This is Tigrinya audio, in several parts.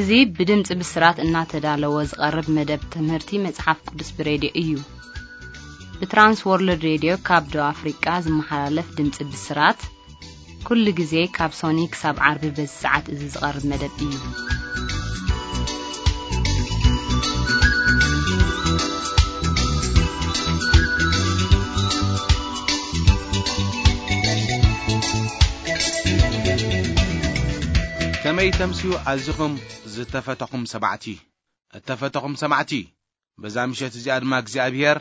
እዚ ብድምፂ ብስራት እናተዳለወ ዝቐርብ መደብ ትምህርቲ መጽሓፍ ቅዱስ ብሬድዮ እዩ። ብትራንስ ወርልድ ሬድዮ ካብ ደቡብ ኣፍሪቃ ዝመሓላለፍ ድምፂ ብስራት፣ ኩሉ ግዜ ካብ ሶኒ ክሳብ ዓርቢ በዚ ሰዓት እዚ ዝቐርብ መደብ እዩ። ከመይ ተምስዩ ኣዚኹም ዝተፈተኹም ሰማዕቲ? እተፈተኹም ሰማዕቲ፣ በዛ ምሸት እዚኣ ድማ እግዚኣብሔር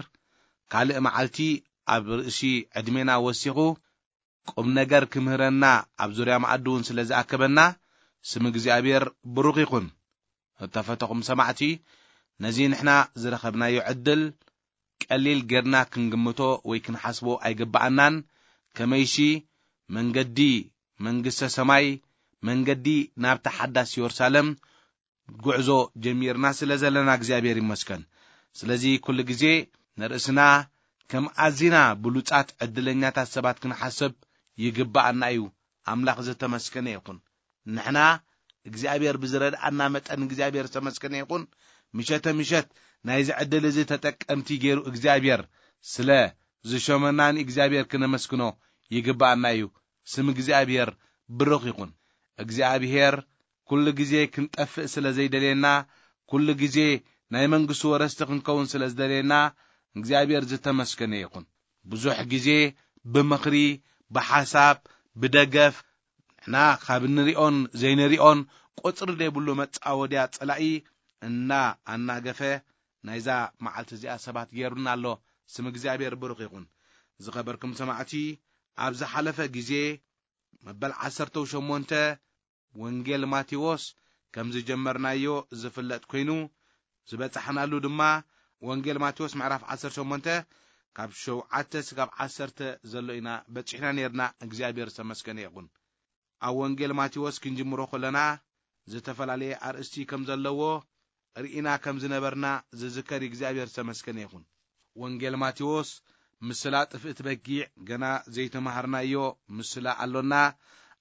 ካልእ መዓልቲ ኣብ ርእሲ ዕድሜና ወሲኹ ቁም ነገር ክምህረና ኣብ ዙርያ መኣዲ እውን ስለ ዝኣከበና ስም እግዚኣብሔር ብሩኽ ይኹን። እተፈተኹም ሰማዕቲ፣ ነዚ ንሕና ዝረኸብናዮ ዕድል ቀሊል ጌርና ክንግምቶ ወይ ክንሓስቦ ኣይግብኣናን። ከመይሲ መንገዲ መንግስተ ሰማይ፣ መንገዲ ናብታ ሓዳስ የሩሳሌም ጉዕዞ ጀሚርና ስለ ዘለና እግዚኣብሔር ይመስገን። ስለዚ ኩሉ ግዜ ንርእስና ከም ኣዚና ብሉጻት ዕድለኛታት ሰባት ክንሓስብ ይግብኣና እዩ። ኣምላኽ ዝተመስገነ ይኹን። ንሕና እግዚኣብሔር ብዝረድኣና መጠን እግዚኣብሔር ዝተመስገነ ይኹን። ምሸተ ምሸት ናይዚ ዕድል እዚ ተጠቀምቲ ገይሩ እግዚኣብሔር ስለ ዝሾመና ንእግዚኣብሔር ክነመስግኖ ይግብኣና እዩ። ስም እግዚኣብሔር ብሩኽ ይኹን። እግዚኣብሔር ኩሉ ግዜ ክንጠፍእ ስለ ዘይደልየና፣ ኩሉ ግዜ ናይ መንግስቱ ወረስቲ ክንከውን ስለ ዝደልየና እግዚኣብሔር ዝተመስገነ ይኹን። ብዙሕ ግዜ ብምኽሪ፣ ብሓሳብ፣ ብደገፍ ንሕና ካብ እንሪኦን ዘይንሪኦን ቁፅሪ ዘይብሉ መፃወድያ ፀላኢ እና ኣናገፈ ናይዛ መዓልቲ እዚኣ ሰባት ገይሩና ኣሎ። ስም እግዚኣብሔር ብሩኽ ይኹን። ዝኸበርኩም ሰማዕቲ፣ ኣብ ዝሓለፈ ግዜ መበል ዓሰርተ ሸሞንተ ወንጌል ማቴዎስ ከም ዝጀመርናዮ ዝፍለጥ ኮይኑ፣ ዝበጻሕናሉ ድማ ወንጌል ማቴዎስ ምዕራፍ ዓሰርተ ሸሞንተ ካብ ሸውዓተ ስጋብ ዓሰርተ ዘሎ ኢና በጺሕና ነርና። እግዚኣብሔር ዝተመስገነ ይኹን። ኣብ ወንጌል ማቴዎስ ክንጅምሮ ከለና ዝተፈላለየ ኣርእስቲ ከም ዘለዎ ርኢና ከም ዝነበርና ዝዝከር እዩ። እግዚኣብሔር ዝተመስገነ ይኹን። ወንጌል ማቴዎስ ምስላ ጥፍእቲ በጊዕ ገና ዘይተማሃርናዮ ምስላ ኣሎና።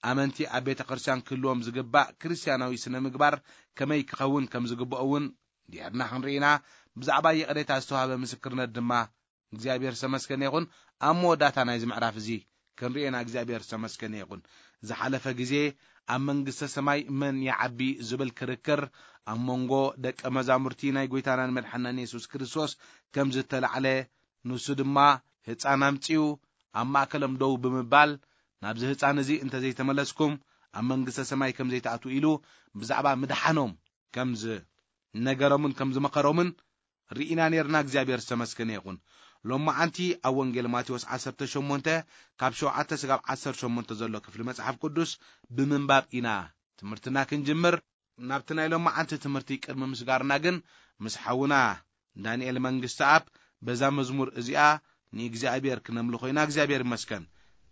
ኣመንቲ ኣብ ቤተ ክርስቲያን ክህልዎም ዝግባእ ክርስቲያናዊ ስነ ምግባር ከመይ ክኸውን ከም ዝግብኦ እውን እንዲሕርና ክንርኢና ብዛዕባ ይቕሬታ ዝተዋህበ ምስክርነት ድማ እግዚኣብሔር ዝተመስገነ ይኹን። ኣብ መወዳእታ ናይዚ ምዕራፍ እዚ ክንርእየና እግዚኣብሔር ዝተመስገነ ይኹን። ዝሓለፈ ግዜ ኣብ መንግስተ ሰማይ መን ይዓቢ ዝብል ክርክር ኣብ መንጎ ደቀ መዛሙርቲ ናይ ጎይታናን መድሓናን የሱስ ክርስቶስ ከም ዝተላዕለ፣ ንሱ ድማ ህፃን ኣምፅኡ ኣብ ማእከሎም ደው ብምባል፣ ናብዚ ህፃን እዚ እንተዘይተመለስኩም ኣብ መንግስተ ሰማይ ከም ዘይትኣትዉ ኢሉ ብዛዕባ ምድሓኖም ከም ዝነገሮምን ከም ዝመኸሮምን ርኢና ነርና። እግዚኣብሔር ዝተመስገነ ይኹን። ሎማዓንቲ ኣብ ወንጌል ማቴዎስ ዓሰርተ ሸሞንተ ካብ ሸውዓተ ስጋብ ዓሰርተ ሸሞንተ ዘሎ ክፍሊ መጽሓፍ ቅዱስ ብምንባብ ኢና ትምህርትና ክንጅምር። ናብቲ ናይ ሎማዓንቲ ትምህርቲ ቅድሚ ምስጋርና ግን ምስ ሓውና ዳንኤል መንግስተ ኣብ በዛ መዝሙር እዚኣ ንእግዚኣብሔር ክነምልኾ ኢና። እግዚኣብሔር ይመስገን።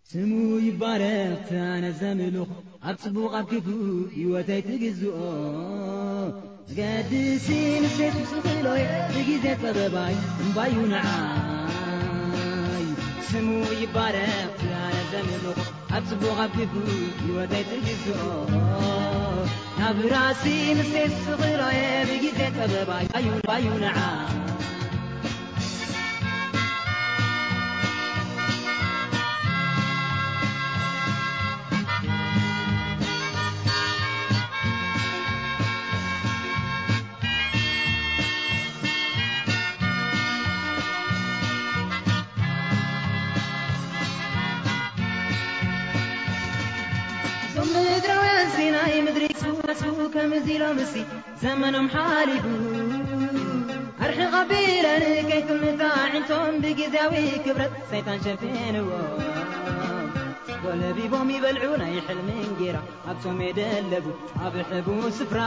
ስሙ ይባረኽ፣ ኣነ ዘምልኽ ኣብ ጽቡቕ ኣብ ክፉእ ህይወተይ ትግዝኦ። ዝገድሲ ንሴት ዝኽእሎ ብግዜ ጸበባይ እምባዩ ንዓይ። ስሙ ይባረኽ፣ ኣነ ዘምልኽ ኣብ ጽቡቕ ኣብ ክፉእ ህይወተይ ትግዝኦ። ናብ ራሲ ንሴት ዝኽእሎ ብግዜ ጸበባይ እምባዩ፣ እምባዩ ንዓይ። እዞም ምድራውያን ሲናይ ምድሪ ክስዋስው ከምዚ ኢሎምሲ ዘመኖም ሓሊፉ። ኣርሕቕ ኣቢለን ከይትምታ ኣዒንቶም ብግዝያዊ ክብረት ሰይጣን ሸፊንዎ። ጎለቢቦም ይበልዑ ናይ ሕልሚ እንጌራ ኣብቶም የደለቡ ኣብ ሕቡ ስፍራ።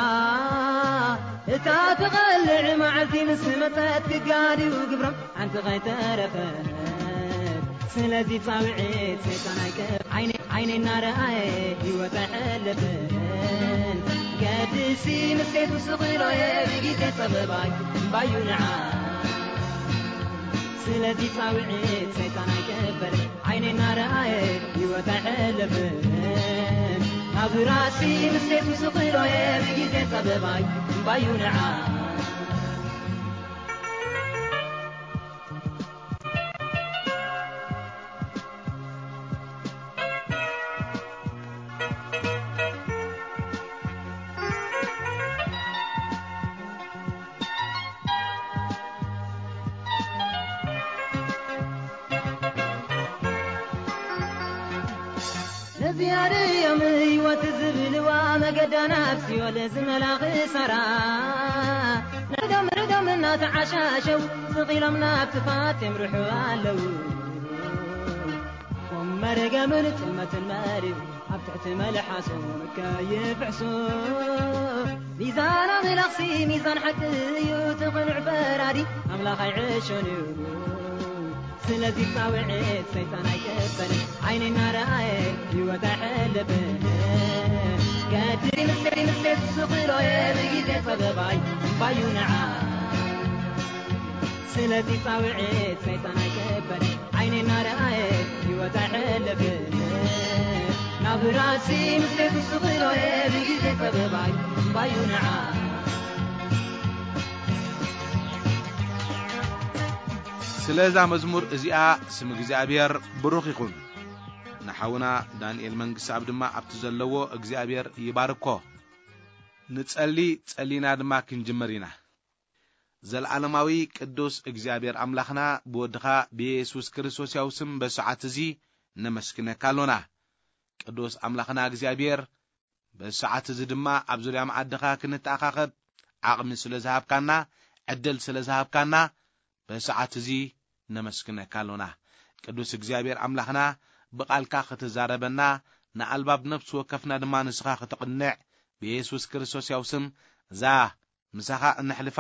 እታ ትቐልዕ መዓልቲ ምስ መጸት ክጋድዩ ግብሮም ሓንቲ ኸይተረፈት። ስለዚ ጻውዒት ሰይጣን ኣይቀፍ ዓይነ፣ ዓይነ እናረኣየ ህይወት ኣይሕለፍን። ገድሲ ምስ ሴፍ ስኽሎ እየ ብግዜ ጸበባይ እምባዩ ንዓ። ስለዚ ጻውዒት ሰይጣን ኣይቀፈል ዓይነ እናረኣየ ህይወት ኣይሕለፍን። ፍራሲ ምስሌቱ ስኽሎ እየ ብግዜ ጸበባይ እምባዩ ንዓ። ነዚኣ ድዮም ህይወት ዝብልዋ መገዳ ናብ ሲኦል ዝመላ ክሳራ። ርዶም ርዶም እናተዓሻሸው ስቕ ኢሎም ናብ ጥፋት የምርሑ ኣለዉ። ኦም መርገምን ጥልመትን መሪሩ ኣብ ትሕቲ መልሓሶም ከይፍሕሱ። ሚዛን ኣምላኽሲ ሚዛን ሓቂ እዩ፣ እቲ ቅኑዕ ፈራዲ ኣምላኽ ኣይዕሾን እዩ። ስለዚ ጻውዒት ሰይጣን ኣይቅበልን፣ ዓይኒ እናረኣየ ህይወት ኣይሕለፍን። ከድሪ ምስጢር ምስጢር ዝስኽሎ እየ ብግዜ ጸበባይ እምባዩ ንዓ። ስለዚ ጻውዒት ሰይጣን ኣይቅበልን፣ ዓይኒ እናረኣየ ህይወት ኣይሕለፍን። ናብ ራሲ ምስጢር ዝስኽሎ እየ ብግዜ ጸበባይ እምባዩ ንዓ። ስለ እዛ መዝሙር እዚኣ ስም እግዚኣብሔር ብሩኽ ይኹን። ንሓውና ዳንኤል መንግስትኣብ ድማ ኣብቲ ዘለዎ እግዚኣብሔር ይባርኮ። ንጸሊ፣ ጸሊና ድማ ክንጅምር ኢና። ዘልዓለማዊ ቅዱስ እግዚኣብሔር ኣምላኽና ብወድኻ ብየሱስ ክርስቶስ ያው ስም በሰዓት እዚ ነመስግነካ ኣሎና። ቅዱስ ኣምላኽና እግዚኣብሔር በሰዓት እዚ ድማ ኣብ ዙርያ መኣድኻ ክንተኣኻኸብ ዓቕሚ ስለ ዝሃብካና፣ ዕድል ስለ ዝሃብካና በሰዓት እዚ ነመስግነካ ኣሎና። ቅዱስ እግዚኣብሔር ኣምላኽና ብቓልካ ክትዛረበና፣ ንኣልባብ ነፍሲ ወከፍና ድማ ንስኻ ክትቕንዕ ብየሱስ ክርስቶስ ያው ስም እዛ ምሳኻ እነሕልፋ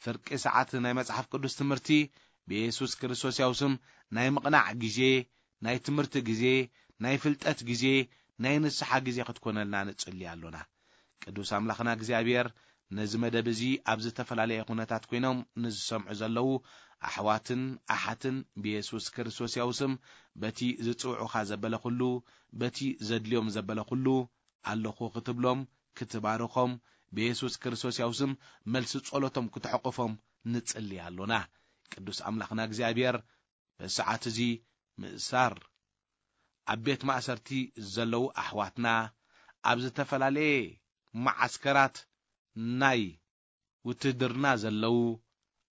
ፍርቂ ሰዓት ናይ መጽሓፍ ቅዱስ ትምህርቲ ብየሱስ ክርስቶስ ያው ስም ናይ ምቕናዕ ግዜ፣ ናይ ትምህርቲ ግዜ፣ ናይ ፍልጠት ግዜ፣ ናይ ንስሓ ግዜ ክትኮነልና ንጽሊ ኣሎና። ቅዱስ ኣምላኽና እግዚኣብሔር ነዚ መደብ እዚ ኣብ ዝተፈላለየ ኩነታት ኮይኖም ንዝሰምዑ ዘለዉ ኣሕዋትን ኣሓትን ብየሱስ ክርስቶስ ያው ስም በቲ ዝጽውዑኻ ዘበለ ኩሉ፣ በቲ ዘድልዮም ዘበለ ኩሉ ኣለኹ ክትብሎም፣ ክትባርኾም፣ ብየሱስ ክርስቶስ ያው ስም መልሲ ጸሎቶም ክትሕቁፎም ንጽሊ ኣሎና። ቅዱስ ኣምላኽና እግዚኣብሔር በዚ ሰዓት እዚ ምእሳር ኣብ ቤት ማእሰርቲ ዘለዉ ኣሕዋትና፣ ኣብ ዝተፈላለየ መዓስከራት ናይ ውትድርና ዘለዉ፣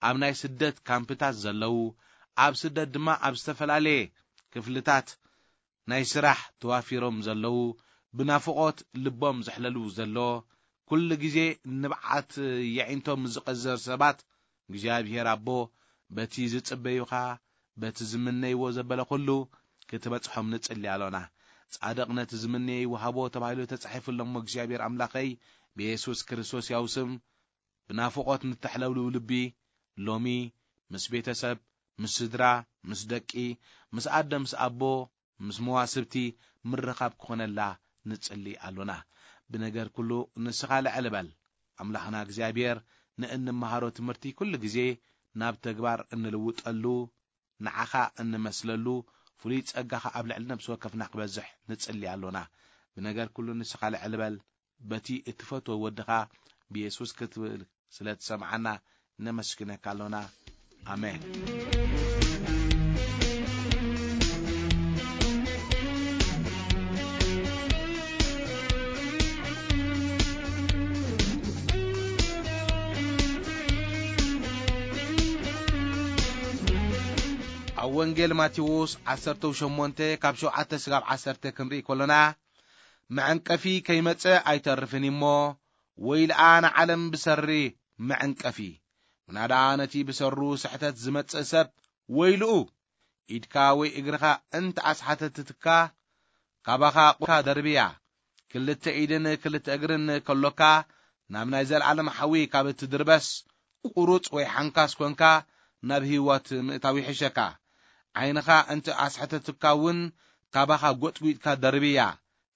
ኣብ ናይ ስደት ካምፕታት ዘለዉ፣ ኣብ ስደት ድማ ኣብ ዝተፈላለየ ክፍልታት ናይ ስራሕ ተዋፊሮም ዘለዉ፣ ብናፍቖት ልቦም ዘሕለሉ ዘሎ፣ ኩሉ ግዜ ንብዓት የዒንቶም ዝቐዘር ሰባት፣ እግዚኣብሔር ኣቦ በቲ ዝጽበዩኻ፣ በቲ ዝምነይዎ ዘበለ ኩሉ ክትበጽሖም ንጽሊ ኣሎና። ጻድቕ ነቲ ዝምነዮ ይወሃቦ ተባሂሉ ተጻሒፉ ኣሎ እሞ፣ እግዚኣብሔር ኣምላኸይ፣ ብየሱስ ክርስቶስ ያው ስም ብናፍቖት ንተሕለብልቡ ልቢ፣ ሎሚ ምስ ቤተሰብ፣ ምስ ስድራ፣ ምስ ደቂ፣ ምስ ኣደ፣ ምስ ኣቦ፣ ምስ መዋስብቲ ምርኻብ ክኾነላ ንጽሊ ኣሎና። ብነገር ኩሉ ንስኻ ልዕል በል። ኣምላኽና እግዚኣብሔር፣ ንእንመሃሮ ትምህርቲ ኩሉ ግዜ ናብ ተግባር እንልውጠሉ፣ ንዓኻ እንመስለሉ፣ ፍሉይ ጸጋኻ ኣብ ልዕሊ ነብሲ ወከፍና ክበዝሕ ንጽሊ ኣሎና። ብነገር ኩሉ ንስኻ ልዕል በል። በቲ እትፈትዎ ወድኻ ብየሱስ ክትብል ስለ ትሰምዓና ነመስግነካ ኣሎና። ኣሜን። ኣብ ወንጌል ማቴዎስ ዓሰርተ ሸሞንተ ካብ ሸውዓተ ስጋብ ዓሰርተ ክንርኢ ከሎና፣ መዐንቀፊ ከይመጸ ኣይተርፍን እሞ፣ ወይልኣ ንዓለም ብሰሪ መዐንቀፊ። ምናዳ ነቲ ብሰሩ ስሕተት ዝመጽእ ሰብ ወይልኡ። ኢድካ ወይ እግርኻ እንተ ኣስሓተትካ፣ ካባኻ ቁርካ ደርብያ። ክልተ ኢድን ክልተ እግርን ከሎካ፣ ናብ ናይ ዘለዓለም ሓዊ ካብ እትድርበስ፣ ቁሩጽ ወይ ሓንካስ ኮንካ፣ ናብ ህይወት ምእታው ይሕሸካ። ዓይንኻ እንተ ኣስሕተትካ እውን፣ ካባኻ ጎጥጒጥካ ደርብያ።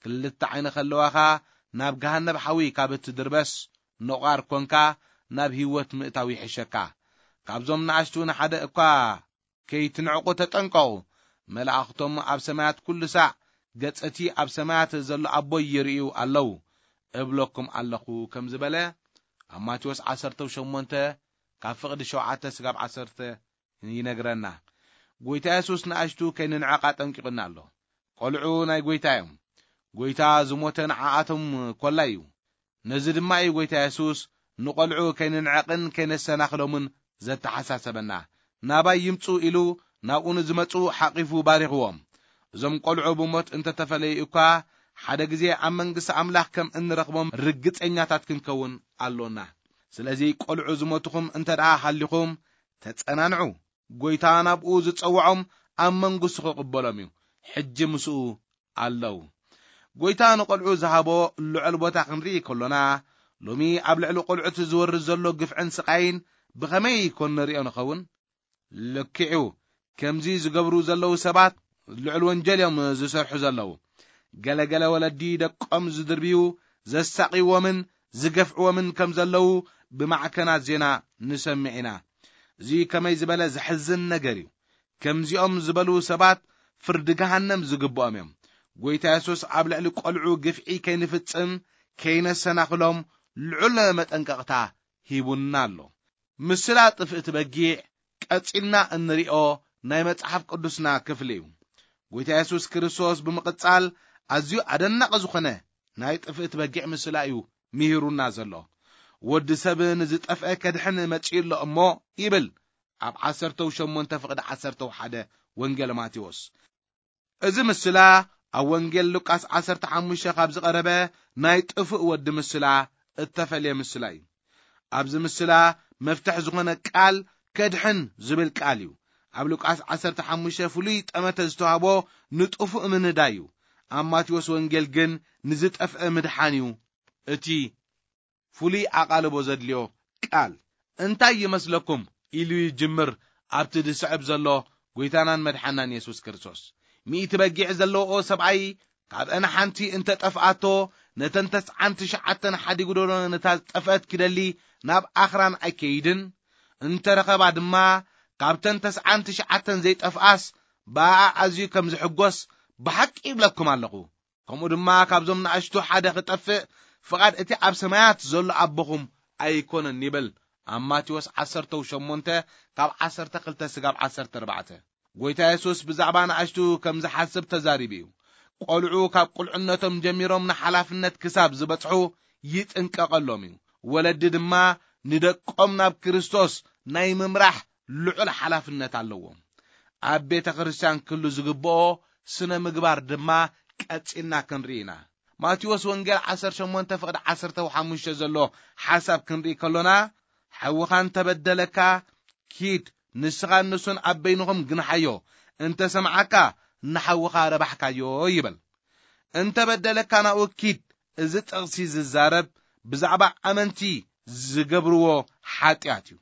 ክልተ ዓይኒ ከለዋኻ፣ ናብ ገሃነብ ሓዊ ካብ እትድርበስ፣ ነቋር ኮንካ፣ ናብ ህይወት ምእታው ይሕሸካ። ካብዞም ንኣሽቱ ንሓደ እኳ ከይትንዕቁ ተጠንቀቑ። መላእኽቶም ኣብ ሰማያት ኩሉ ሳዕ ገጸቲ ኣብ ሰማያት ዘሎ ኣቦይ ይርእዩ ኣለዉ እብለኩም ኣለኹ ከም ዝበለ ኣብ ማቴዎስ ዓሰርተ ሸሞንተ ካብ ፍቕዲ ሸውዓተ ስጋብ ዓሰርተ ይነግረና። ጎይታ የሱስ ንኣሽቱ ከይንንዕቕ ኣጠንቂቑና ኣሎ። ቆልዑ ናይ ጎይታ እዮም። ጎይታ ዝሞተ ንዓኣቶም ኮላ እዩ። ነዚ ድማ እዩ ጎይታ የሱስ ንቆልዑ ከይንንዕቕን ከይነሰናኽሎምን ዘተሓሳሰበና። ናባይ ይምጹ ኢሉ ናብኡ ንዝመጹ ሓቒፉ ባሪኽዎም። እዞም ቆልዑ ብሞት እንተተፈለዩ እኳ ሓደ ግዜ ኣብ መንግስቲ ኣምላኽ ከም እንረኽቦም ርግጸኛታት ክንከውን ኣሎና። ስለዚ ቆልዑ ዝሞትኹም እንተ ደኣ ሃሊኹም ተጸናንዑ። ጎይታ ናብኡ ዝጸውዖም ኣብ መንግስቱ ክቕበሎም እዩ። ሕጂ ምስኡ ኣለዉ። ጎይታ ንቆልዑ ዝሃቦ ልዑል ቦታ ክንርኢ ከሎና ሎሚ ኣብ ልዕሊ ቆልዑት ዝወርድ ዘሎ ግፍዕን ስቓይን ብኸመይ ይኮን ንሪኦ ንኸውን? ልክዑ ከምዚ ዝገብሩ ዘለዉ ሰባት ልዑል ወንጀል እዮም ዝሰርሑ ዘለዉ። ገለገለ ወለዲ ደቆም ዝድርብዩ ዘሳቕይዎምን ዝገፍዕዎምን ከም ዘለዉ ብማዕከናት ዜና ንሰምዕ ኢና። እዚ ከመይ ዝበለ ዘሕዝን ነገር እዩ። ከምዚኦም ዝበሉ ሰባት ፍርዲ ገሃነም ዝግብኦም እዮም። ጎይታ የሱስ ኣብ ልዕሊ ቆልዑ ግፍዒ ከይንፍጽም ከይነሰናኽሎም ልዑል መጠንቀቕታ ሂቡና ኣሎ። ምስላ ጥፍእቲ በጊዕ ቀጺልና እንሪኦ ናይ መጽሓፍ ቅዱስና ክፍሊ እዩ። ጎይታ የሱስ ክርስቶስ ብምቕጻል ኣዝዩ ኣደናቒ ዝኾነ ናይ ጥፍእቲ በጊዕ ምስላ እዩ ምሂሩና ዘሎ። ወዲ ሰብ ንዝጠፍአ ከድሕን መጺኡ ኣሎ እሞ ይብል ኣብ ዓሰርተ ሸሞንተ ፍቕዲ ዓሰርተ ሓደ ወንጌል ማቴዎስ። እዚ ምስላ ኣብ ወንጌል ሉቃስ ዓሰርተ ሓሙሽተ ካብ ዝቐረበ ናይ ጥፉእ ወዲ ምስላ እተፈልየ ምስላ እዩ። ኣብዚ ምስላ መፍትሕ ዝኾነ ቃል ከድሕን ዝብል ቃል እዩ። ኣብ ሉቃስ ዓሰርተ ሓሙሽተ ፍሉይ ጠመተ ዝተዋህቦ ንጥፉእ ምንዳይ እዩ። ኣብ ማቴዎስ ወንጌል ግን ንዝጠፍአ ምድሓን እዩ እቲ ፍሉይ ኣቓልቦ ዘድልዮ ቃል። እንታይ ይመስለኩም ኢሉ ይጅምር ኣብቲ ዝስዕብ ዘሎ ጎይታናን መድሓናን የሱስ ክርስቶስ። ሚእቲ በጊዕ ዘለውኦ ሰብኣይ ካብ እነ ሓንቲ እንተ ጠፍኣቶ ነተን ተስዓን ትሽዓተን ሓዲጉ ዶ ነታ ዝጠፍአት ክደሊ ናብ ኣኽራን ኣይከይድን? እንተ ረኸባ ድማ ካብተን ተስዓን ትሽዓተን ዘይጠፍኣስ ብኣኣ ኣዝዩ ከም ዝሕጎስ ብሓቂ ይብለኩም ኣለኹ። ከምኡ ድማ ካብዞም ንኣሽቱ ሓደ ክጠፍእ ፍቓድ እቲ ኣብ ሰማያት ዘሎ ኣቦኹም ኣይኮነን ይብል ኣብ ማቴዎስ ዓሰርተ ሸሞንተ ካብ ዓሰርተ ክልተ ስጋብ ዓሰርተ ኣርባዕተ። ጎይታ የሱስ ብዛዕባ ንኣሽቱ ከም ዝሓስብ ተዛሪቡ እዩ። ቆልዑ ካብ ቁልዕነቶም ጀሚሮም ንሓላፍነት ክሳብ ዝበጽሑ ይጥንቀቐሎም እዩ። ወለዲ ድማ ንደቆም ናብ ክርስቶስ ናይ ምምራሕ ልዑል ሓላፍነት ኣለዎም። ኣብ ቤተ ክርስቲያን ክህሉ ዝግብኦ ስነ ምግባር ድማ ቀጺልና ክንርኢ ኢና። ማቴዎስ ወንጌል ዓሰርተ ሸሞንተ ፍቕዲ ዓሰርተ ሓሙሽተ ዘሎ ሓሳብ ክንርኢ ከሎና፣ ሓውኻ እንተበደለካ ኪድ፣ ንስኻን ንሱን ኣብ በይንኹም ግንሓዮ፣ እንተ ሰምዓካ ንሓውኻ ረባሕካዮ ይብል። እንተ በደለካ ናብኡ ኪድ። እዚ ጥቕሲ ዝዛረብ ብዛዕባ ኣመንቲ ዝገብርዎ ሓጢኣት እዩ።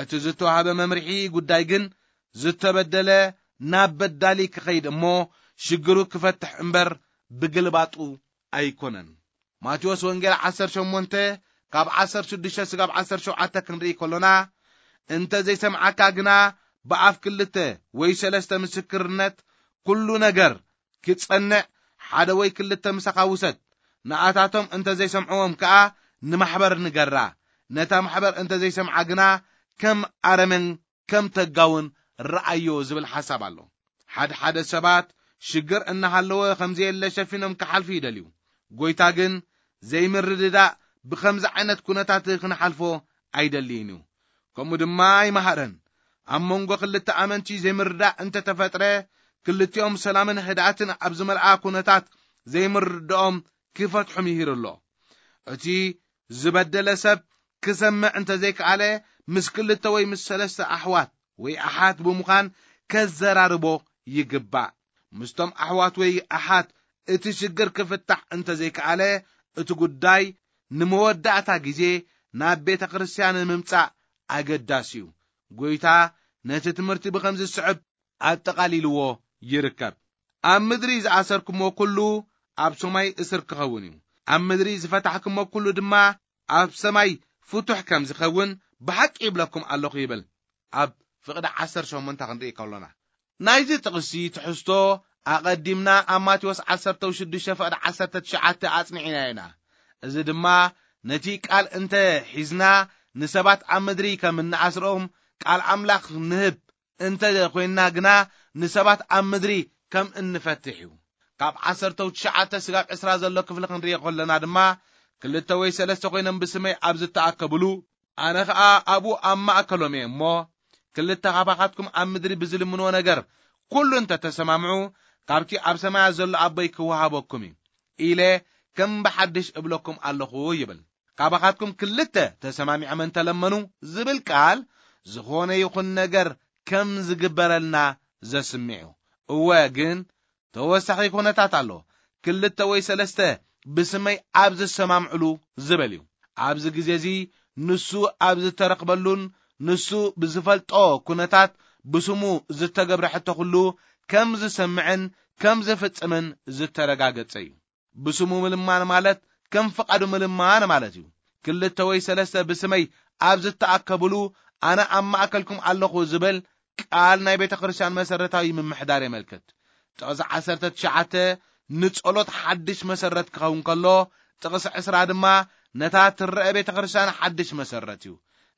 እቲ ዝተዋህበ መምርሒ ጉዳይ ግን ዝተበደለ ናብ በዳሊ ክኸይድ እሞ ሽግሩ ክፈትሕ እምበር ብግልባጡ ኣይኮነን። ማቴዎስ ወንጌል ዓሰርተ ሸሞንተ ካብ ዓሰርተ ሽዱሽተ ስጋብ ዓሰርተ ሸውዓተ ክንርኢ ከሎና፣ እንተ ዘይሰምዓካ ግና ብኣፍ ክልተ ወይ ሰለስተ ምስክርነት ኩሉ ነገር ክጸንዕ ሓደ ወይ ክልተ ምሳኻ ውሰድ። ንኣታቶም እንተ ዘይሰምዕዎም ከኣ ንማሕበር ንገራ። ነታ ማሕበር እንተ ዘይሰምዓ ግና ከም ኣረመን ከም ተጋውን ረኣዮ ዝብል ሓሳብ ኣሎ። ሓደ ሓደ ሰባት ሽግር እናሃለወ ከም ዘየለ ሸፊኖም ክሓልፉ ይደልዩ። ጎይታ ግን ዘይምርድዳእ ብኸምዚ ዓይነት ኩነታት ክንሓልፎ ኣይደልይን እዩ። ከምኡ ድማ ኣይመሃረን። ኣብ መንጎ ክልተ ኣመንቲ ዘይምርዳእ እንተተፈጥረ፣ ክልቲኦም ሰላምን ህድኣትን ኣብ ዝመልኣ ኩነታት ዘይምርድኦም ክፈትሑ ምሂሩ ኣሎ። እቲ ዝበደለ ሰብ ክሰምዕ እንተዘይከኣለ፣ ምስ ክልተ ወይ ምስ ሰለስተ ኣሕዋት ወይ ኣሓት ብምዃን ከዘራርቦ ይግባእ። ምስቶም ኣሕዋት ወይ ኣሓት እቲ ሽግር ክፍታሕ እንተዘይከኣለ፣ እቲ ጉዳይ ንመወዳእታ ግዜ ናብ ቤተ ክርስቲያን ምምጻእ ኣገዳሲ እዩ። ጎይታ ነቲ ትምህርቲ ብኸምዚ ዝስዕብ ኣጠቓሊልዎ ይርከብ። ኣብ ምድሪ ዝኣሰርኩሞ ኩሉ ኣብ ሰማይ እስር ክኸውን እዩ። ኣብ ምድሪ ዝፈታሕኩሞ ኩሉ ድማ ኣብ ሰማይ ፍቱሕ ከም ዝኸውን ብሓቂ ይብለኩም ኣለኹ ይብል። ኣብ ፍቕዲ ዓሰርተ ሸሞንተ ክንርኢ ከሎና፣ ናይዚ ጥቕሲ ትሕዝቶ ኣቐዲምና ኣብ ማቴዎስ ዓሰርተ ሽዱሽተ ፍቕዲ ዓሰርተ ትሽዓተ ኣጽኒዕና ኢና። እዚ ድማ ነቲ ቃል እንተ ሒዝና ንሰባት ኣብ ምድሪ ከም እንኣስሮም ቃል ኣምላኽ ንህብ እንተ ኮይንና ግና ንሰባት ኣብ ምድሪ ከም እንፈትሕ እዩ። ካብ ዓሰርተ ትሽዓተ ስጋብ ዕስራ ዘሎ ክፍሊ ክንሪኦ ከለና ድማ ክልተ ወይ ሰለስተ ኮይኖም ብስመይ ኣብ ዝተኣከብሉ ኣነ ኸኣ ኣብኡ ኣብ ማእከሎም እየ እሞ ክልተ ካባኻትኩም ኣብ ምድሪ ብዝልምንዎ ነገር ኩሉ እንተ ተሰማምዑ ካብቲ ኣብ ሰማያት ዘሎ ኣቦይ ክወሃበኩም እዩ ኢለ ከም ብሓድሽ እብለኩም ኣለኹ ይብል። ካባኻትኩም ክልተ ተሰማሚዖም እንተለመኑ ዝብል ቃል ዝኾነ ይኹን ነገር ከም ዝግበረልና ዘስምዕ እዩ። እወ ግን ተወሳኺ ኩነታት ኣሎ። ክልተ ወይ ሰለስተ ብስመይ ኣብ ዝሰማምዕሉ ዝበል እዩ። ኣብዚ ግዜ እዚ ንሱ ኣብ ዝተረኽበሉን ንሱ ብዝፈልጦ ኩነታት ብስሙ ዝተገብረ ሕቶ ኩሉ ከም ዝሰምዕን ከም ዝፍጽምን ዝተረጋገጸ እዩ። ብስሙ ምልማን ማለት ከም ፍቓዱ ምልማን ማለት እዩ። ክልተ ወይ ሰለስተ ብስመይ ኣብ ዝተኣከብሉ ኣነ ኣብ ማእከልኩም ኣለኹ ዝብል ቃል ናይ ቤተ ክርስቲያን መሰረታዊ ምምሕዳር የመልክት። ጥቕሲ ዓሰርተ ትሽዓተ ንጸሎት ሓድሽ መሰረት ክኸውን ከሎ፣ ጥቕሲ ዕስራ ድማ ነታ ትረአ ቤተ ክርስቲያን ሓድሽ መሰረት እዩ።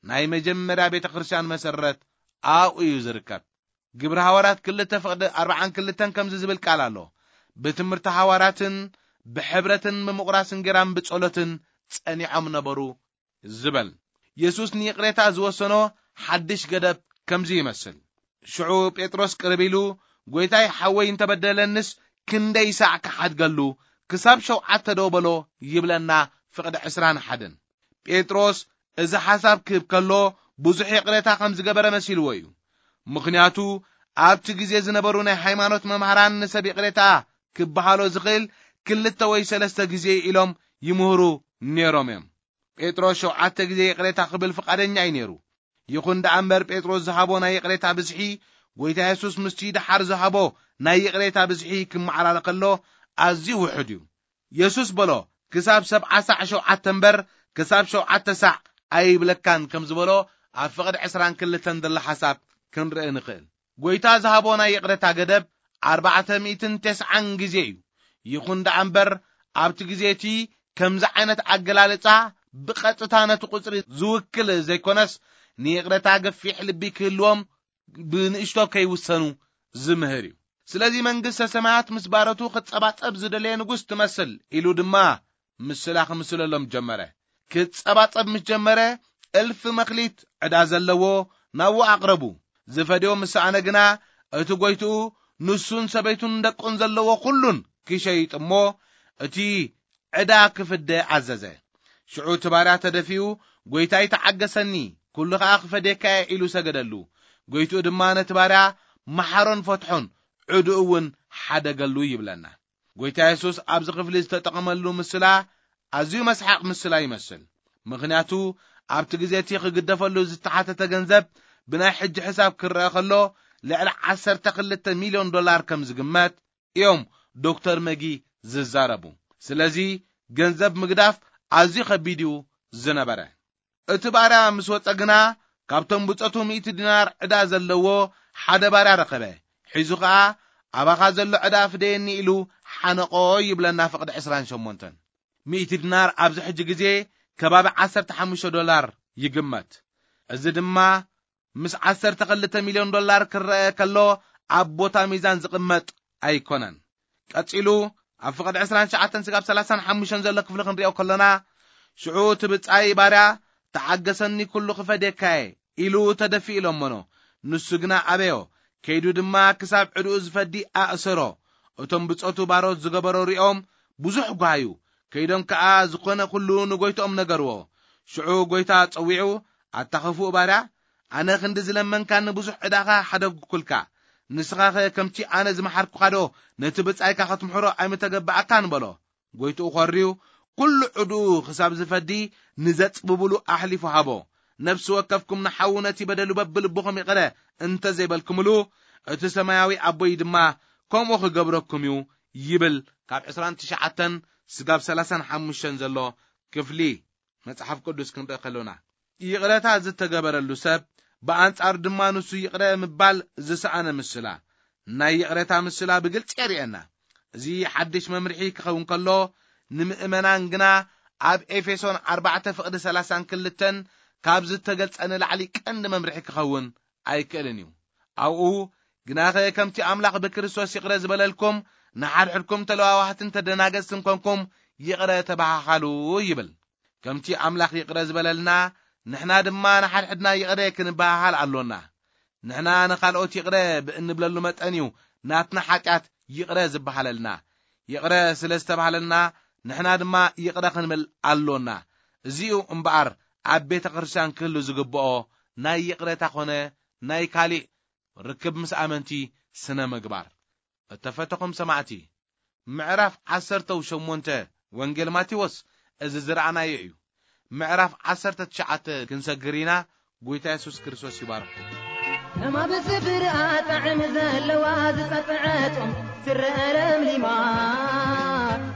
ናይ መጀመርያ ቤተ ክርስቲያን መሰረት ኣብኡ እዩ ዝርከብ። ግብሪ ሃዋርያት ክልተ ፍቕዲ ኣርባዓን ክልተን ከምዚ ዝብል ቃል ኣሎ። ብትምህርቲ ሃዋርያትን ብሕብረትን ብምቑራስ እንጌራን ብጸሎትን ጸኒዖም ነበሩ ዝበል። የሱስ ንይቕሬታ ዝወሰኖ ሓድሽ ገደብ ከምዚ ይመስል። ሽዑ ጴጥሮስ ቅርብ ኢሉ፣ "ጐይታይ ሓወይ እንተበደለንስ ክንደይ ሳዕ ክሓድገሉ? ክሳብ ሸውዓተ ዶ በሎ?" ይብለና ፍቕዲ ዕስራን ሓደን። ጴጥሮስ እዚ ሓሳብ ክህብ ከሎ ብዙሕ ይቕሬታ ከም ዝገበረ መሲልዎ እዩ። ምኽንያቱ ኣብቲ ግዜ ዝነበሩ ናይ ሃይማኖት መምሃራን ንሰብ ይቕሬታ ክበሃሎ ዝኽእል ክልተ ወይ ሰለስተ ግዜ ኢሎም ይምህሩ ነይሮም እዮም። ጴጥሮስ ሸውዓተ ግዜ ይቕሬታ ክብል ፍቓደኛ እዩ ነይሩ። ይኹን ደኣ እምበር ጴጥሮስ ዝሃቦ ናይ ይቕሬታ ብዝሒ ጐይታ የሱስ ምስቲ ደሓር ዝሃቦ ናይ ይቕሬታ ብዝሒ ክመዓራረ ከሎ ኣዝዩ ውሑድ እዩ። የሱስ በሎ፣ "ክሳብ ሰብዓ ሳዕ ሸውዓተ እምበር ክሳብ ሸውዓተ ሳዕ ኣይብለካን" ከም ዝበሎ ኣብ ፍቕዲ ዕስራን ክልተን ዘሎ ሓሳብ ክንርኢ ንኽእል። ጐይታ ዝሃቦ ናይ ይቕሬታ ገደብ ኣርባዕተ ሚእትን ተስዓን ግዜ እዩ። ይኹን ደኣ እምበር ኣብቲ ግዜ እቲ ከምዚ ዓይነት ኣገላልጻ ብቐጥታ ነቲ ቁጽሪ ዝውክል ዘይኮነስ ንይቕሬታ ገፊሕ ልቢ ክህልዎም ብንእሽቶ ከይውሰኑ ዝምህር እዩ። ስለዚ መንግስተ ሰማያት ምስ ባሮቱ ክጸባጸብ ዝደለየ ንጉስ ትመስል ኢሉ ድማ ምስላ ክምስለሎም ጀመረ። ክጸባጸብ ምስ ጀመረ እልፊ መክሊት ዕዳ ዘለዎ ናብኡ ኣቕረቡ። ዝፈድዮ ምስ ሰኣነ ግና እቲ ጐይትኡ ንሱን ሰበይቱን ደቁን ዘለዎ ኩሉን ክሸይጥ እሞ እቲ ዕዳ ክፍደ ኣዘዘ። ሽዑ እቲ ባርያ ተደፊኡ፣ "ጐይታይ ተዓገሰኒ፣ ኩሉ ኸኣ ክፈድየካ እየ" ኢሉ ሰገደሉ። ጐይትኡ ድማ ነቲ ባርያ መሓሮን ፈትሖን ዕድኡ እውን ሓደገሉ ይብለና። ጐይታ የሱስ ኣብዚ ክፍሊ ዝተጠቐመሉ ምስላ ኣዝዩ መስሓቕ ምስላ ይመስል። ምኽንያቱ ኣብቲ ግዜ እቲ ክግደፈሉ ዝተሓተተ ገንዘብ ብናይ ሕጂ ሕሳብ ክረአ ከሎ ልዕሊ ዓሰርተ ክልተ ሚልዮን ዶላር ከም ዝግመት እዮም ዶክተር መጊ ዝዛረቡ። ስለዚ ገንዘብ ምግዳፍ ኣዝዩ ከቢድ እዩ ዝነበረ። እቲ ባርያ ምስ ወጸ ግና ካብቶም ብጾቱ ሚእቲ ዲናር ዕዳ ዘለዎ ሓደ ባርያ ረኸበ። ሒዙ ኸኣ ኣባኻ ዘሎ ዕዳ ፍደየኒ ኢሉ ሓነቆ ይብለና ፍቕዲ ዕስራን ሸሞንተን። ሚእቲ ዲናር ኣብዚ ሕጂ ግዜ ከባቢ ዓሰርተ ሓሙሽተ ዶላር ይግመት። እዚ ድማ ምስ ዓሰርተ ክልተ ሚልዮን ዶላር ክረአ ከሎ ኣብ ቦታ ሚዛን ዝቕመጥ ኣይኮነን። ቀጺሉ ኣብ ፍቕዲ ዕስራን ትሽዓተን ስጋብ ሰላሳን ሓሙሽተን ዘሎ ክፍሊ ክንሪኦ ከሎና ሽዑ እቲ ብጻይ ባርያ ተዓገሰኒ ኩሉ ክፈድየካ እየ ኢሉ ተደፊኡ ለመኖ። ንሱ ግና ኣበዮ። ከይዱ ድማ ክሳብ ዕድኡ ዝፈዲ ኣእሰሮ። እቶም ብጾቱ ባሮት ዝገበሮ ሪኦም ብዙሕ ጓሃዩ። ከይዶም ከኣ ዝኾነ ኩሉ ንጎይትኦም ነገርዎ። ሽዑ ጎይታ ጸዊዑ፣ "ኣታ ኽፉእ ባርያ፣ ኣነ ክንዲ ዝለመንካኒ ብዙሕ ዕዳኻ ሓደግኩልካ። ንስኻኸ ከምቲ ኣነ ዝመሓርኩኻዶ ነቲ ብጻይካ ክትምሕሮ ኣይምተገባኣካን?" በሎ። ጎይትኡ ኾርዩ፣ ኩሉ ዕድኡ ክሳብ ዝፈዲ ንዘጽብብሉ ኣሕሊፉ ሃቦ። ነፍሲ ወከፍኩም ንሓዉ ነቲ በደሉ በብልብኹም ይቕረ እንተ ዘይበልኩምሉ፣ እቲ ሰማያዊ ኣቦይ ድማ ከምኡ ክገብረኩም እዩ ይብል። ካብ ዕስራን ትሽዓተን ስጋብ ሰላሳን ሓሙሽተን ዘሎ ክፍሊ መጽሓፍ ቅዱስ ክንርኢ ከሎና፣ ይቕረታ ዝተገበረሉ ሰብ ብኣንጻር ድማ ንሱ ይቕረ ምባል ዝሰኣነ ምስላ። ናይ ይቕሬታ ምስላ ብግልጺ የርእየና። እዚ ሓድሽ መምርሒ ክኸውን ከሎ፣ ንምእመናን ግና ኣብ ኤፌሶን ኣርባዕተ ፍቕዲ ሰላሳን ክልተን ካብ ዝተገልጸ ንላዕሊ ቀንዲ መምርሒ ክኸውን ኣይክእልን እዩ። ኣብኡ፣ "ግናኸ ከምቲ ኣምላኽ ብክርስቶስ ይቕረ ዝበለልኩም፣ ንሓድሕድኩም ተለዋዋህትን ተደናገጽትን ኮንኩም ይቕረ ተበሃሃሉ" ይብል። ከምቲ ኣምላኽ ይቕረ ዝበለልና፣ ንሕና ድማ ንሓድሕድና ይቕረ ክንበሃሃል ኣሎና። ንሕና ንኻልኦት ይቕረ ብእንብለሉ መጠን እዩ ናትና ሓጢኣት ይቕረ ዝበሃለልና። ይቕረ ስለ ዝተባህለልና፣ ንሕና ድማ ይቕረ ክንብል ኣሎና። እዚኡ እምበኣር ኣብ ቤተ ክርስቲያን ክህሉ ዝግብኦ ናይ ይቕሬታ ኾነ ናይ ካሊእ ርክብ ምስ ኣመንቲ ስነ ምግባር። እተፈተኹም ሰማዕቲ፣ ምዕራፍ ዓሰርተው ሸሞንተ ወንጌል ማቴዎስ እዚ ዝረኣናዮ እዩ። ምዕራፍ ዓሰርተ ትሽዓተ ክንሰግር ኢና። ጎይታ የሱስ ክርስቶስ ይባርኽኩም። ከማብ ስፍርኣ ጣዕሚ ዘለዋ ዝጸጥዐ ጾም ትረአ ለምሊማ።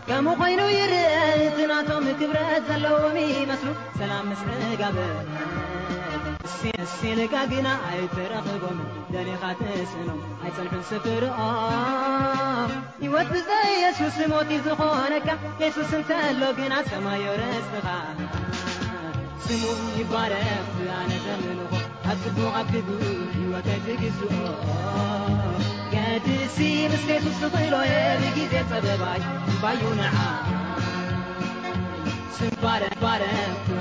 ከምኡ ኮይኑ ይረአ እቲ ናቶም ክብረት ዘለዎም ይመስሉ። ሰላም ምስ ዕጋበ እሲ-፣ እሲ ኢልካ ግና ኣይተረኽቦም። ደሊኻ ትስእኖም ኣይጸንሑን ስፍርኦም። ህይወት ብዘይ የሱስ ሞት እዩ ዝኾነካ። የሱስ እንተሎ ግና ሰማይ ርስኻ። ስሙ ይባረኽ ብኣነ ዘምልኾ። ኣብ ጽቡቕ ኣብ ክፉእ ህይወተይ ትግዝኦ። ገድሲ ምስ የሱስ ዝኽእሎ እየ ብግዜ ጸበባይ እምባዩ ንዓ። ስም ባረ ባረ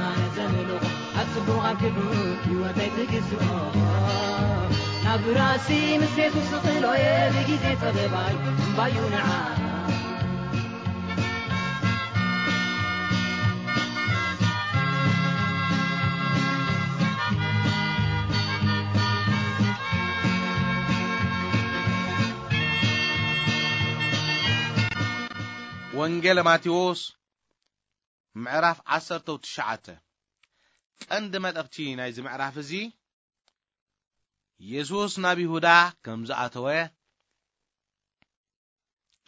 ኣነ ዘምልኾ። ኣብ ጽቡቕ ኣብ ክፉእ ህይወተይ ትግዝኦ። ናብ ራሲ ምስ የሱስ ዝኽእሎ እየ ብግዜ ጸበባይ እምባዩ ንዓ። ወንጌል ማቴዎስ ምዕራፍ ዓሰርተው ትሽዓተ። ቀንዲ መልእኽቲ ናይዚ ምዕራፍ እዚ፣ የሱስ ናብ ይሁዳ ከም ዝኣተወ፣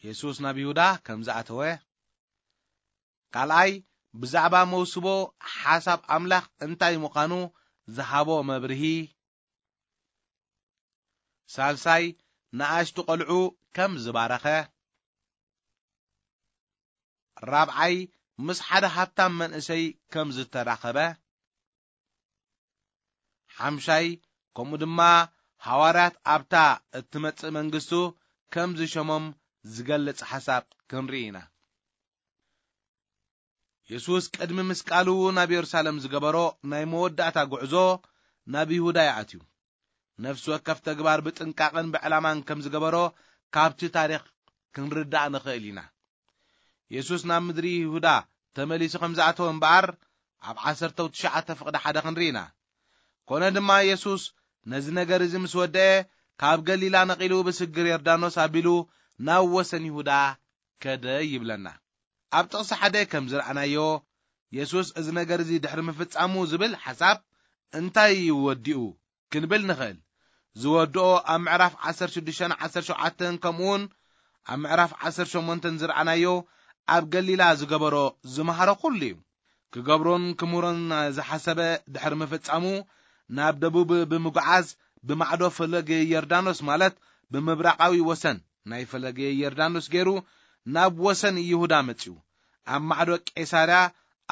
የሱስ ናብ ይሁዳ ከም ዝኣተወ፣ ካልኣይ፣ ብዛዕባ መውስቦ ሓሳብ ኣምላኽ እንታይ ምዃኑ ዝሃቦ መብርሂ፣ ሳልሳይ፣ ንኣሽቱ ቈልዑ ከም ዝባረኸ፣ ራብዓይ፣ ምስ ሓደ ሃብታም መንእሰይ ከም ዝተራኸበ፣ ሓምሻይ፣ ከምኡ ድማ ሃዋርያት ኣብታ እትመጽእ መንግስቱ ከም ዝሸሞም ዝገልጽ ሓሳብ ክንርኢ ኢና። የሱስ ቅድሚ ምስቃሉ ናብ የሩሳሌም ዝገበሮ ናይ መወዳእታ ጉዕዞ ናብ ይሁዳ ይኣትዩ። ነፍሲ ወከፍ ተግባር ብጥንቃቐን ብዕላማን ከም ዝገበሮ ካብቲ ታሪኽ ክንርዳእ ንኽእል ኢና። የሱስ ናብ ምድሪ ይሁዳ ተመሊሱ ከም ዝኣተወ እምበኣር፣ ኣብ ዓሰርተው ትሽዓተ ፍቕዲ ሓደ ክንርኢ ኢና። ኮነ ድማ የሱስ ነዚ ነገር እዚ ምስ ወደአ፣ ካብ ገሊላ ነቒሉ ብስግር ዮርዳኖስ ኣቢሉ ናብ ወሰን ይሁዳ ከደ ይብለና። ኣብ ጥቕሲ ሓደ ከም ዝረኣናዮ፣ የሱስ እዚ ነገር እዚ ድሕሪ ምፍጻሙ ዝብል ሓሳብ እንታይ እዩ ወዲኡ ክንብል ንኽእል። ዝወድኦ ኣብ ምዕራፍ ዓሰርተ ሽዱሽተን ዓሰርተ ሸውዓተን ከምኡውን ኣብ ምዕራፍ ዓሰርተ ሸሞንተን ዝረኣናዮ ኣብ ገሊላ ዝገበሮ ዝመሃሮ ኩሉ እዩ። ክገብሮን ክምህሮን ዝሓሰበ ድሕሪ ምፍጻሙ፣ ናብ ደቡብ ብምጉዓዝ ብማዕዶ ፈለገ ዮርዳኖስ፣ ማለት ብምብራቓዊ ወሰን ናይ ፈለገ ዮርዳኖስ ገይሩ ናብ ወሰን ይሁዳ መጺኡ። ኣብ ማዕዶ ቄሳርያ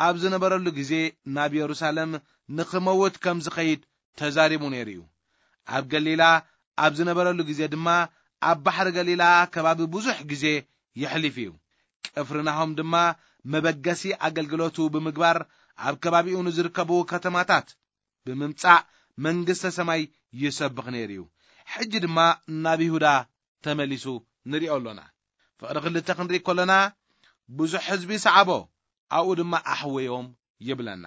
ኣብ ዝነበረሉ ግዜ ናብ የሩሳሌም ንኽመውት ከም ዝኸይድ ተዛሪቡ ነይሩ እዩ። ኣብ ገሊላ ኣብ ዝነበረሉ ግዜ ድማ ኣብ ባሕሪ ገሊላ ከባቢ ብዙሕ ግዜ የሕሊፉ እዩ። ቅፍርናሆም ድማ መበገሲ ኣገልግሎቱ ብምግባር ኣብ ከባቢኡ ንዝርከቡ ከተማታት ብምምጻእ መንግስተ ሰማይ ይሰብኽ ነይሩ እዩ። ሕጂ ድማ ናብ ይሁዳ ተመሊሱ ንሪኦ ኣሎና። ፍቕዲ ክልተ ክንርኢ ከሎና፣ ብዙሕ ህዝቢ ሰዓቦ፣ ኣብኡ ድማ ኣሕወዮም ይብለና።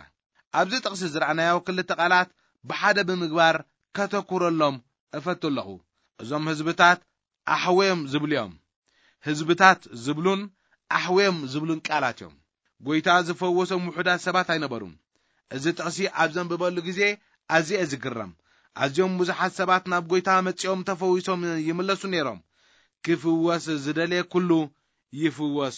ኣብዚ ጥቕሲ ዝረኣናዮ ክልተ ቃላት ብሓደ ብምግባር ከተኩረሎም እፈቱ ኣለኹ። እዞም ህዝብታት ኣሕወዮም ዝብሉ እዮም። ህዝብታት ዝብሉን ኣሕወዮም ዝብሉን ቃላት እዮም። ጎይታ ዝፈወሶም ውሑዳት ሰባት ኣይነበሩን። እዚ ጥቕሲ ኣብ ዘንብበሉ ግዜ ኣዝየ ዝግረም። ኣዝዮም ብዙሓት ሰባት ናብ ጎይታ መጺኦም ተፈዊሶም ይምለሱ ነይሮም። ክፍወስ ዝደለየ ኩሉ ይፍወስ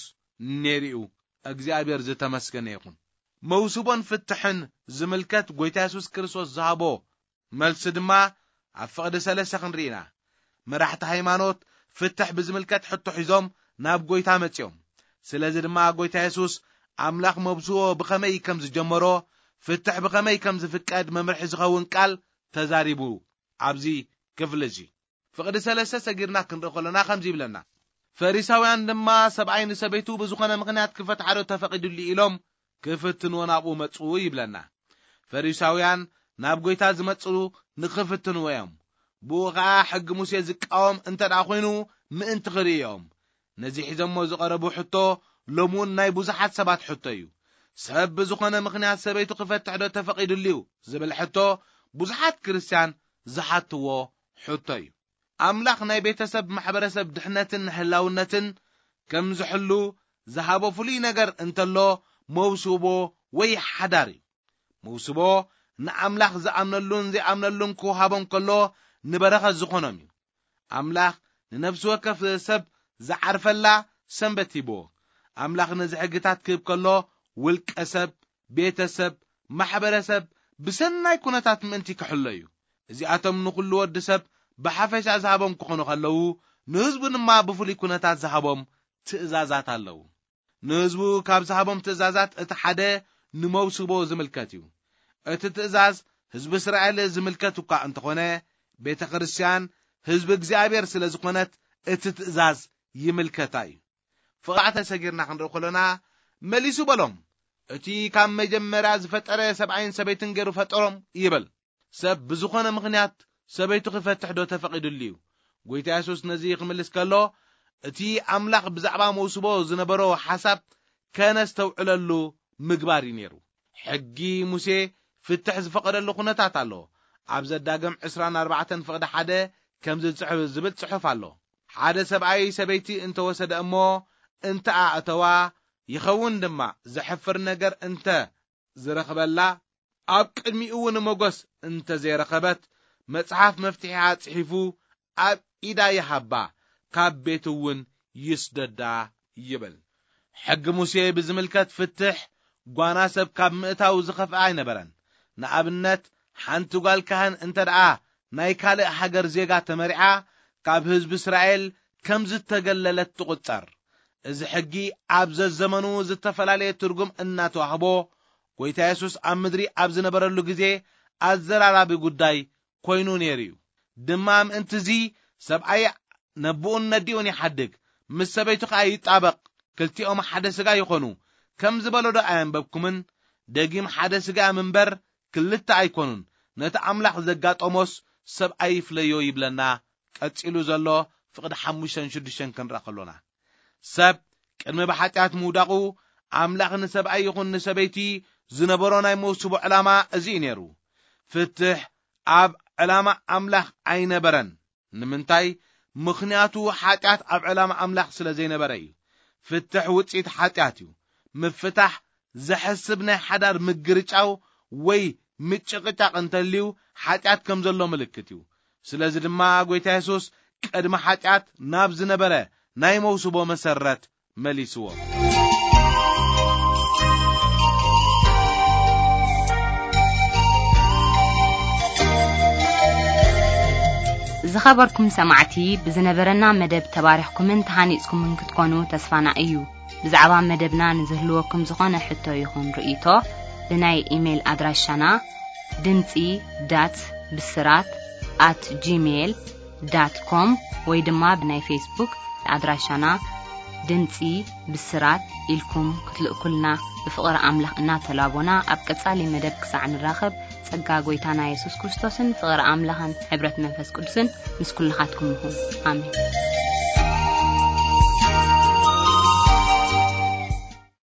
ነይሩ እዩ። እግዚኣብሔር ዝተመስገነ ይኹን። መውስቦን ፍትሕን ዝምልከት ጎይታ የሱስ ክርስቶስ ዝሃቦ መልሲ ድማ ኣብ ፍቕዲ ሰለስተ ክንርኢ ኢና። መራሕቲ ሃይማኖት ፍትሕ ብዝምልከት ሕቶ ሒዞም ናብ ጎይታ መጺኦም። ስለዚ ድማ ጎይታ የሱስ ኣምላኽ መብስዎ ብኸመይ ከም ዝጀመሮ፣ ፍትሕ ብኸመይ ከም ዝፍቀድ መምርሒ ዝኸውን ቃል ተዛሪቡ። ኣብዚ ክፍሊ እዚ ፍቕዲ ሰለስተ ሰጊርና ክንርኢ ከሎና ከምዚ ይብለና። ፈሪሳውያን ድማ ሰብኣይ ንሰበይቱ ብዝኾነ ምኽንያት ክፈትሓ ዶ ተፈቒዱሉ ኢሎም ክፍትንዎ ናብኡ መጹ ይብለና። ፈሪሳውያን ናብ ጎይታ ዝመጹ ንኽፍትንዎ እዮም። ብኡ ኸኣ ሕጊ ሙሴ ዝቃወም እንተ ደኣ ኾይኑ ምእንቲ ክርእዮም። ነዚ ሒዞሞ ዝቐረቡ ሕቶ ሎሚ እውን ናይ ብዙሓት ሰባት ሕቶ እዩ። ሰብ ብዝኾነ ምኽንያት ሰበይቱ ክፈትሕ ዶ ተፈቒዱሉ እዩ ዝብል ሕቶ ብዙሓት ክርስትያን ዝሓትዎ ሕቶ እዩ። ኣምላኽ ናይ ቤተሰብ ማሕበረሰብ ድሕነትን ህላውነትን ከም ዝሕሉ ዝሃቦ ፍሉይ ነገር እንተሎ መውስቦ ወይ ሓዳር እዩ። መውስቦ ንኣምላኽ ዝኣምነሉን ዘይኣምነሉን ክወሃቦም ከሎ ንበረኸት ዝኾኖም እዩ። ኣምላኽ ንነፍሲ ወከፍ ሰብ ዝዓርፈላ ሰንበት ሂብዎ። ኣምላኽ ነዚ ሕግታት ክህብ ከሎ ውልቀ ሰብ፣ ቤተሰብ፣ ማሕበረሰብ ብሰናይ ኩነታት ምእንቲ ክሕሎ እዩ። እዚኣቶም ንኹሉ ወዲ ሰብ ብሓፈሻ ዝሃቦም ክኾኑ ከለዉ፣ ንህዝቡ ድማ ብፍሉይ ኩነታት ዝሃቦም ትእዛዛት ኣለዉ። ንህዝቡ ካብ ዝሃቦም ትእዛዛት እቲ ሓደ ንመውስቦ ዝምልከት እዩ። እቲ ትእዛዝ ህዝቢ እስራኤል ዝምልከት እኳ እንተኾነ፣ ቤተ ክርስቲያን ህዝቢ እግዚኣብሔር ስለ ዝኾነት እቲ ትእዛዝ ይምልከታ እዩ። ፍቕራዕተ ሰጊርና ክንርኢ ከሎና፣ መሊሱ በሎም፣ እቲ ካብ መጀመርያ ዝፈጠረ ሰብኣይን ሰበይትን ገይሩ ፈጠሮም ይብል። ሰብ ብዝኾነ ምኽንያት ሰበይቱ ክፈትሕ ዶ ተፈቒዱሉ እዩ? ጎይታ የሱስ ነዚ ክምልስ ከሎ፣ እቲ ኣምላኽ ብዛዕባ መውስቦ ዝነበሮ ሓሳብ ከነስተውዕለሉ ምግባር እዩ ነይሩ። ሕጊ ሙሴ ፍትሕ ዝፈቐደሉ ኩነታት ኣሎ። ኣብ ዘዳግም ዕስራን ኣርባዕተን ፍቕዲ ሓደ ከምዚ ዝጽሕፍ ዝብል ጽሑፍ ኣሎ። ሓደ ሰብኣይ ሰበይቲ እንተወሰደ እሞ እንተ ኣእተዋ፣ ይኸውን ድማ ዘሕፍር ነገር እንተ ዝረኽበላ፣ ኣብ ቅድሚኡ እውን ሞገስ እንተ ዘይረኸበት፣ መጽሓፍ መፍትሒኣ ጽሒፉ ኣብ ኢዳ ይሃባ፣ ካብ ቤት እውን ይስደዳ ይብል። ሕጊ ሙሴ ብዝምልከት ፍትሕ ጓና ሰብ ካብ ምእታው ዝኸፍአ ኣይነበረን። ንኣብነት፣ ሓንቲ ጓል ካህን እንተ ደኣ ናይ ካልእ ሃገር ዜጋ ተመሪዓ፣ ካብ ህዝቢ እስራኤል ከም ዝተገለለት ትቑጸር። እዚ ሕጊ ኣብ ዘዘመኑ ዝተፈላለየ ትርጉም እናተዋህቦ፣ ጎይታ የሱስ ኣብ ምድሪ ኣብ ዝነበረሉ ግዜ ኣዘራራቢ ጉዳይ ኮይኑ ነይሩ እዩ። ድማ ምእንቲ እዚ ሰብኣይ ነቦኡን ነዲኡን ይሓድግ፣ ምስ ሰበይቱ ኸኣ ይጣበቕ፣ ክልቲኦም ሓደ ስጋ ይኾኑ፣ ከም ዝበሎ ዶ ኣየንበብኩምን? ደጊም ሓደ ስጋ እዮም እምበር ክልተ ኣይኮኑን። ነቲ ኣምላኽ ዘጋጠሞስ ሰብኣይ ይፍለዮ ይብለና። ቀጺሉ ዘሎ ፍቕዲ ሓሙሽተን ሽዱሽተን ክንርኢ ከሎና፣ ሰብ ቅድሚ ብሓጢኣት ምውዳቑ ኣምላኽ ንሰብኣይ ይኹን ንሰበይቲ ዝነበሮ ናይ መውስቦ ዕላማ እዚ እዩ ነይሩ። ፍትሕ ኣብ ዕላማ ኣምላኽ ኣይነበረን። ንምንታይ? ምኽንያቱ ሓጢኣት ኣብ ዕላማ ኣምላኽ ስለ ዘይነበረ እዩ። ፍትሕ ውጽኢት ሓጢኣት እዩ። ምፍታሕ ዘሕስብ ናይ ሓዳር ምግርጫው ወይ ምጭቕጫቕ እንተልዩ ሓጢኣት ከም ዘሎ ምልክት እዩ። ስለዚ ድማ ጎይታ የሱስ ቅድሚ ሓጢኣት ናብ ዝነበረ ናይ መውስቦ መሰረት መሊስዎ። ዝኸበርኩም ሰማዕቲ፣ ብዝነበረና መደብ ተባሪኽኩምን ተሃኒጽኩምን ክትኮኑ ተስፋና እዩ። ብዛዕባ መደብና ንዝህልወኩም ዝኾነ ሕቶ ይኹን ርእይቶ፣ ብናይ ኢሜይል ኣድራሻና ድምጺ ዳት ብስራት ኣት ጂሜይል ዳት ኮም ወይ ድማ ብናይ ፌስቡክ ኣድራሻና ድምጺ ብስራት ኢልኩም ክትልእኩልና ብፍቕሪ ኣምላኽ እናተላቦና፣ ኣብ ቀጻሊ መደብ ክሳዕ ንራኸብ፣ ጸጋ ጎይታና የሱስ ክርስቶስን ፍቕሪ ኣምላኽን ሕብረት መንፈስ ቅዱስን ምስ ኩልኻትኩም ይኹን። ኣሜን።